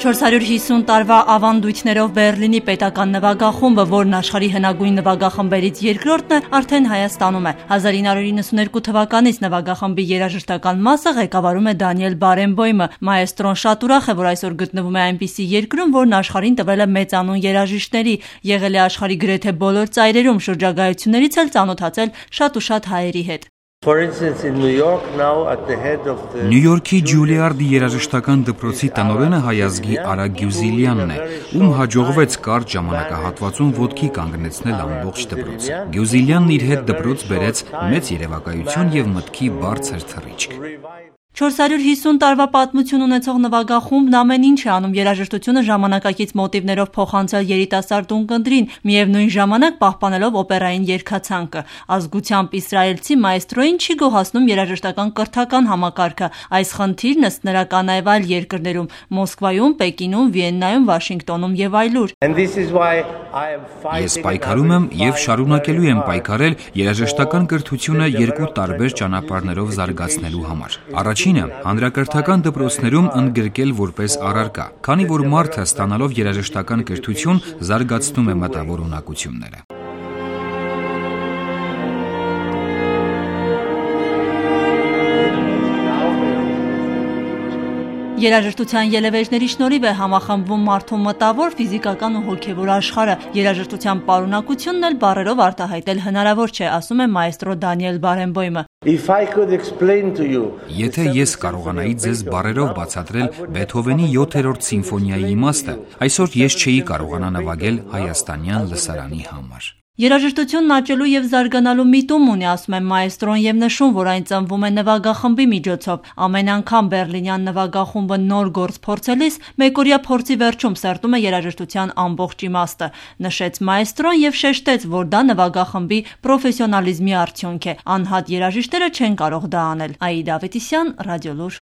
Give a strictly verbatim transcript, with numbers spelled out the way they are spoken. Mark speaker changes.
Speaker 1: չորս հարյուր հիսուն տարվա ավանդույթներով Բեռլինի պետական նվագախումբը, որն աշխարհի հնագույն նվագախմբերից երկրորդն է, արդեն Հայաստանում է։ հազար ինը հարյուր իննսուններկու թվականից նվագախմբի երաժշտական մասը ղեկավարում է Դանիել Բարենբոյմը։ Մայեստրոն շատ ուրախ է, որ այսօր գտնվում է այնպիսի երկրում, որն աշխարհին տվել է մեծանուն երաժիշտների, եղել է աշխարհի գրեթե բոլոր ծայրերում, շրջագայություններից էլ ծանոթացել շատ ու շատ հայերի հետ։
Speaker 2: Նյու Յորքի Ջուլիարդի երաժշտական դպրոցի տնօրենը հայազգի Արա Գյուզիլյանն է, ում հաջողվեց կարճ ժամանակահատվածում ոտքի կանգնեցնել ամբողջ դպրոցը։ Գյուզիլյանն իր հետ դպրոց բերեց մեծ երևակայություն եւ մտքի բարձր թռիչք։
Speaker 1: չորս հարյուր հիսուն տարվա պատմություն ունեցող նվագախումբն ամեն ինչ է անում երաժշտությունը ժամանակակից մոտիվներով փոխանցել երիտասարդ ունկնդրին, միևնույն ժամանակ պահպանելով օպերային երգացանկը։ Ազգությամբ իսրայելցի մայեստրոին չի գոհացնում երաժշտական կրթական համակարգը։ Այս խնդիրն ըստ նրա կա նաև այլ երկրներում՝ Մոսկվայում, Պեկինում, Վիեննայում, Վաշինգտոնում եւ այլուր։
Speaker 2: Ես պայքարում եմ եւ շարունակելու եմ պայքարել երաժշտական կրթությունը երկու տարբեր ճանապարհներով զարգացնելու համար։ Առաջինը հանրակրթական դպրոցներում ընդգրկել որպես առարկա, քանի որ մարդը ստանալով երաժշտական կրթություն զարգացնում է մտավոր ունակությունները։
Speaker 1: Երաժշտության ելևէջների շնորհիվ է համախմբվում մարդու մտավոր, ֆիզիկական ու հոգևոր աշխարհը։ Երաժշտության պարունակությունն էլ բառերով արտահայտել հնարավոր չէ, ասում է մայեստրո Դանիել Բարենբոյմը։
Speaker 2: Եթե ես կարողանայի ձեզ բառերով բացատրել Բեթհովենի յոթերորդ սիմֆոնիայի իմաստը, այսօր ես չէի կարողանա նվագել հայաստանյան լսարանի համար։
Speaker 1: Երաժշտությունն աճելու եւ զարգանալու միտում ունի, ասում է մայեստրոն եւ նշում, որ այն ծնվում է նվագախմբի միջոցով։ Ամեն անգամ բեռլինյան նվագախումբը նոր գործ փորձելիս մեկօրյա փորձի վերջում սերտում է երաժշտության ամբողջ իմաստը, նշեց մայեստրոն եւ շեշտեց, որ դա նվագախմբի պրոֆեսիոնալիզմի արդյունք է։ Անհատ երաժիշտները չեն կարող դա անել։ Աիդա Ավետիսյան, Ռադիոլուր։